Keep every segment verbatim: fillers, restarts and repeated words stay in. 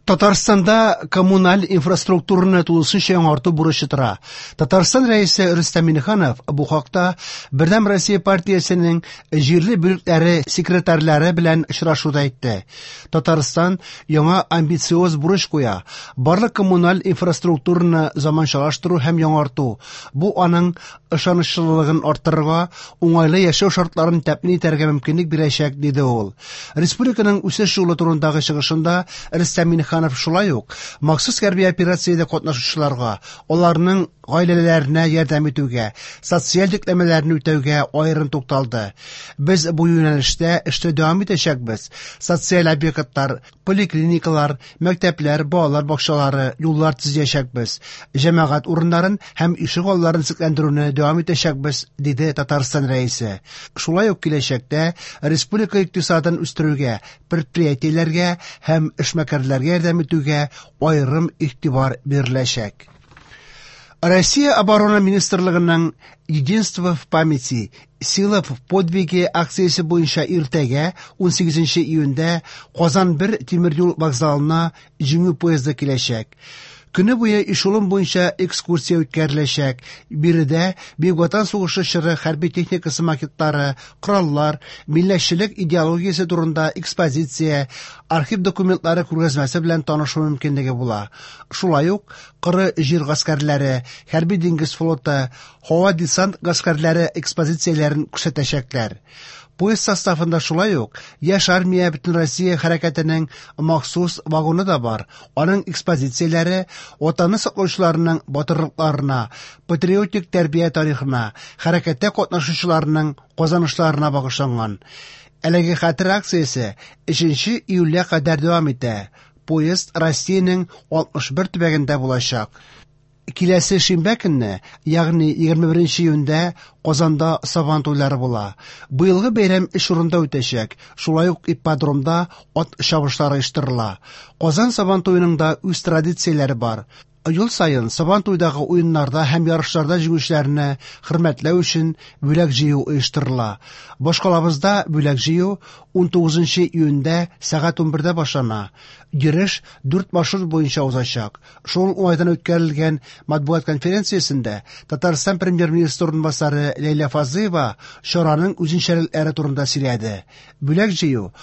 Татарстанда коммуналь инфраструктураны тулысынча яңарту бурычы тора. Татарстан Рәисе Рөстәм Миңнеханов бу хакта Бердәм Россия партиясенең җирле бүлекләре секретарьлары белән очрашуда әйтте. Татарстан яңа амбициоз бурыч куя: барлык коммуналь инфраструктураны заманчалаштыру һәм яңарту. Бу аның ышанычлылыгын арттырырга, уңайлы яшәү шартларын тәэмин итәргә мөмкинлек бирәчәк, диде ул. Республиканың үсеш юлы турындагы чыгышында Рөстәм Миңнеханов шулай ук махсус хәрби операциядә катнашучыларга, аларның гаиләләренә ярдәм итүгә, социаль йөкләмәләрне үтәүгә аерым тукталды. Без бу юнәлештә эшне дәвам итәчәкбез. Социаль объектлар, поликлиникалар, мәктәпләр, балалар бакчалары, юллар төзәчәкбез. Җәмәгать урыннарын һәм ишек алларын төзекләндерүне дәвам итәчәкбез, диде Татарстан Рәисе. Шулай ук киләчәктә республика икътисадын үстерүгә, предприятиеләргә һәм эшмәкәрләргә ярдәм итүгә аерым игътибар биреләчәк. Россия Оборона министрлыгының «Единство в памяти, сила в подвиге» акциясе буенча иртәгә, унсигезенче июньдә, Казан бер тимер юл вокзалына Җиңү поезды киләчәк. Көне буе эшелон буенча экскурсия үткәреләчәк. Биредә Бөек Ватан сугышы чоры хәрби техникасы макетлары, кораллар, милләтчелек идеологиясе турында экспозиция, архив документлары күргәзмәсе белән танышу мөмкинлеге була. Шулай ук коры җир гаскәрләре, хәрби диңгез флоты, һава десант гаскәрләре экспозицияләрен күрсәтәчәкләр. Поезд составында шулай ук Яшь армия Бөтенроссия хәрәкәтенең махсус вагоны да бар. Аның экспозицияләре Ватанны саклаучыларның батырлыкларына, патриотик тәрбия тарихына, хәрәкәттә катнашучыларның казанышларына багышланган. Әлеге хәтер акциясе өченче июльгә кадәр дәвам итә. Поезд Россиянең алтмыш бер төбәгендә булачак. Киләсе шимбә көнне, ягъни егерме беренче июньдә, Казанда Сабан туйлары була. Быелгы бәйрәм өч урында үтәчәк. Шулай ук ипподромда ат чабышлары оештырыла. Казан Сабан туеның да үз традицияләре бар. Ел саен Сабан туйдагы уеннарда һәм ярышларда җиңүчеләрне хөрмәтләү өчен бүләк җыю оештырыла. Башкалабызда бүләк җыю унтугызынчы июньдә сәгать унбердә башлана. Йөреш дүрт маршрут буенча узачак. Шул уңайдан үткәрелгән матбугат конференциясендә Татарстан премьер-министры урынбасары Ләйлә Фазлыева чараның үзенчәлекләре турында сөйләде. Бүләк җыю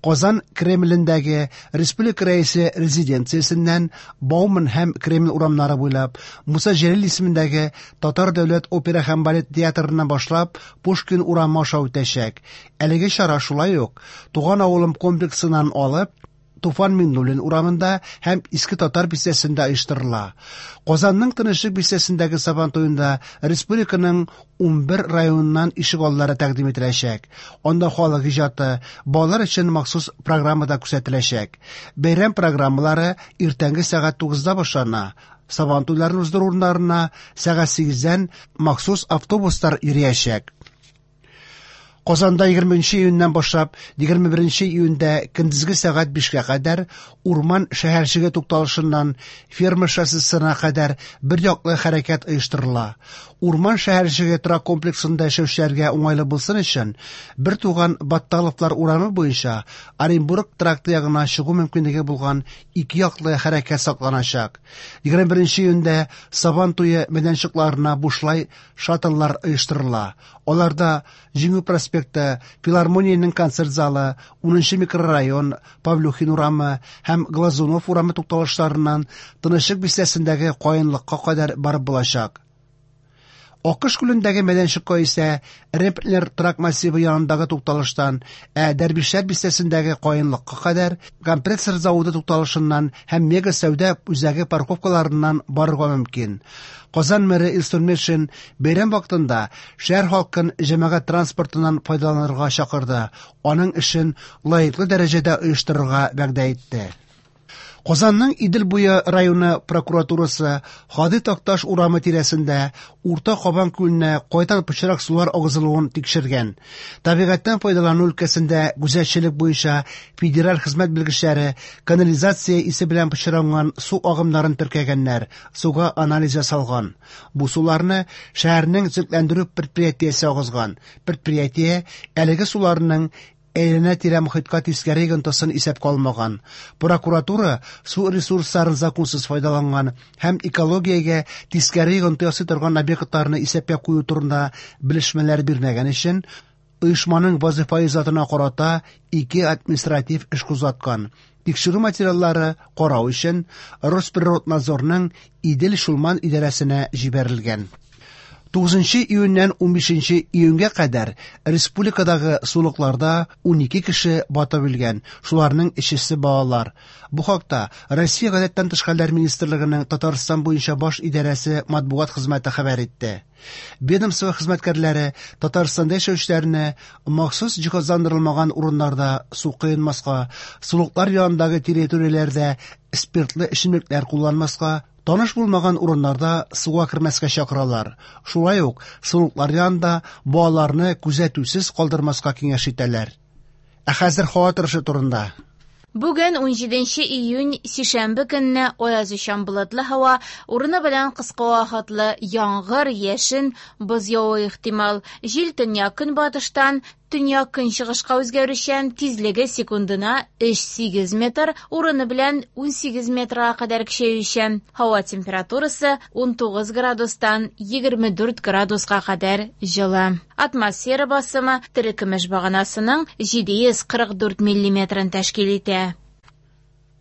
Казан Кремлендәге Республика Рәисе резиденциясеннән Бауман һәм Кремль урамнары буйлап, Муса Җәлил исемендәге Татар дәүләт опера һәм балет театрыннан башлап Пушкин урамы аша үтәчәк. Әлеге чара шулай ук Туган авылым комплексыннан алып Туфан Миңнуллин урамында һәм Иске Татар бистәсендә оештырыла. Казанның Тынычлык бистәсендәге Сабан туенда республиканың унбер районыннан ишек аллары тәкъдим ителәчәк. Анда халык иҗаты, балалар өчен махсус программа да күрсәтеләчәк. Бәйрәм программалары иртәнге сәгать тугызда башлана. Сабан туйларын уздыру урыннарына сәгать сигездән махсус автобуслар йөриячәк. Казанда егерменче июньнән башлап егерме беренче июньдә көндезге сәгать бишкә кадәр Урман шәһәрчеге тукталышыннан Ферма шоссесына кадәр бер яклы хәрәкәт оештырыла. Урман шәһәрчеге торак комплексында яшәүчеләргә уңайлы булсын өчен бер туган Батталовлар урамы буенча Оренбург тракты ягына чыгу мөмкинлеге булган ике яклы хәрәкәт сакланачак. Егерме беренче июньдә Сабан туе мәйданчыкларына бушлай шаттлар оештырыла. Аларда Җиңү проспекты, Филармониянең концерт залы, унынчы микрорайон, Павлюхин урамы һәм Глазунов урамы тукталышларыннан Тынычлык бистәсендәге Каенлыкка кадәр барып булачак. Акыш күлендәге мәйданчыкка исә Реплер торак массивы янындагы тукталыштан, ә Дәрвишләр бистәсендәге Каенлыкка кадәр компрессор заводы тукталышыннан һәм Мега сәүдә үзәге парковкаларыннан барырга мөмкин. Казан мэры Илсур Метшин бәйрәм вакытында шәһәр халкын җәмәгать транспортыннан файдаланырга чакырды. Аның эшен лаеклы дәрәҗәдә оештырырга вәгъдә итте. Казанның Идел буе районы прокуратурасы Һади Такташ урамы тирәсендә Урта Кабан күленә кайдан пычрак сулар агызылуын тикшергән. Табигатьтән файдалану өлкәсендә күзәтчелек буенча федераль хезмәт белгечләре канализация исе белән пычранган су агымнарын теркәгәннәр, суга анализ ясалган. Бу суларны шәһәрнең төзекләндерү предприятиесе агызган. Предприятие әлеге суларның әйләнә-тирә мохиткә тискәре йогынтысын исәпкә алмаган. Прокуратура су ресурсларын законсыз файдаланган һәм экологиягә тискәре йогынты ясый торган объектларны исәпкә кую турында белешмәләр бирмәгән өчен оешманың вазифаи затына карата ике административ эш кузгаткан. Тикшерү материаллары карау өчен Росприроднадзорның Идел-Чулман идарәсенә җибәрелгән. Тугызынчы июньнән унбишенче июньгә кадәр республикадагы сулыкларда унике кеше батып үлгән, шуларның өчесе балалар. Бу хакта Россия Гадәттән тыш хәлләр министрлыгының Татарстан буенча баш идарәсе матбугат хезмәте хәбәр итте. Ведомство хезмәткәрләре Татарстанда яшәүчеләрне махсус җиһазландырылмаган урыннарда су коенмаска, сулыклар янындагы территорияләрдә спиртлы эчемлекләр кулланмаска, таныш булмаган урыннарда суга кермәскә чакыралар. Шулай ук сулыклар янында балаларны күзәтүсез калдырмаска киңәш итәләр. Ә хәзер һава торышы турында. Бүген унҗиденче июнь, сишәмбе көнне аязучан болытлы һава, урыны белән кыска вакытлы яңгыр, яшен, боз явуы ихтимал. Җил төньяк-көнбатыштан төньяк-көнчыгышка үзгәрүчән, тизлеге секундына өч сигез метр, урыны белән унсигез метрга кадәр көчәючән. Һава температурасы унтугыз градустан егерме дүрт градуска кадәр җылы. Атмосфера басымы терекөмеш баганасының җиде йөз кырык дүрт миллиметрын тәшкил итә.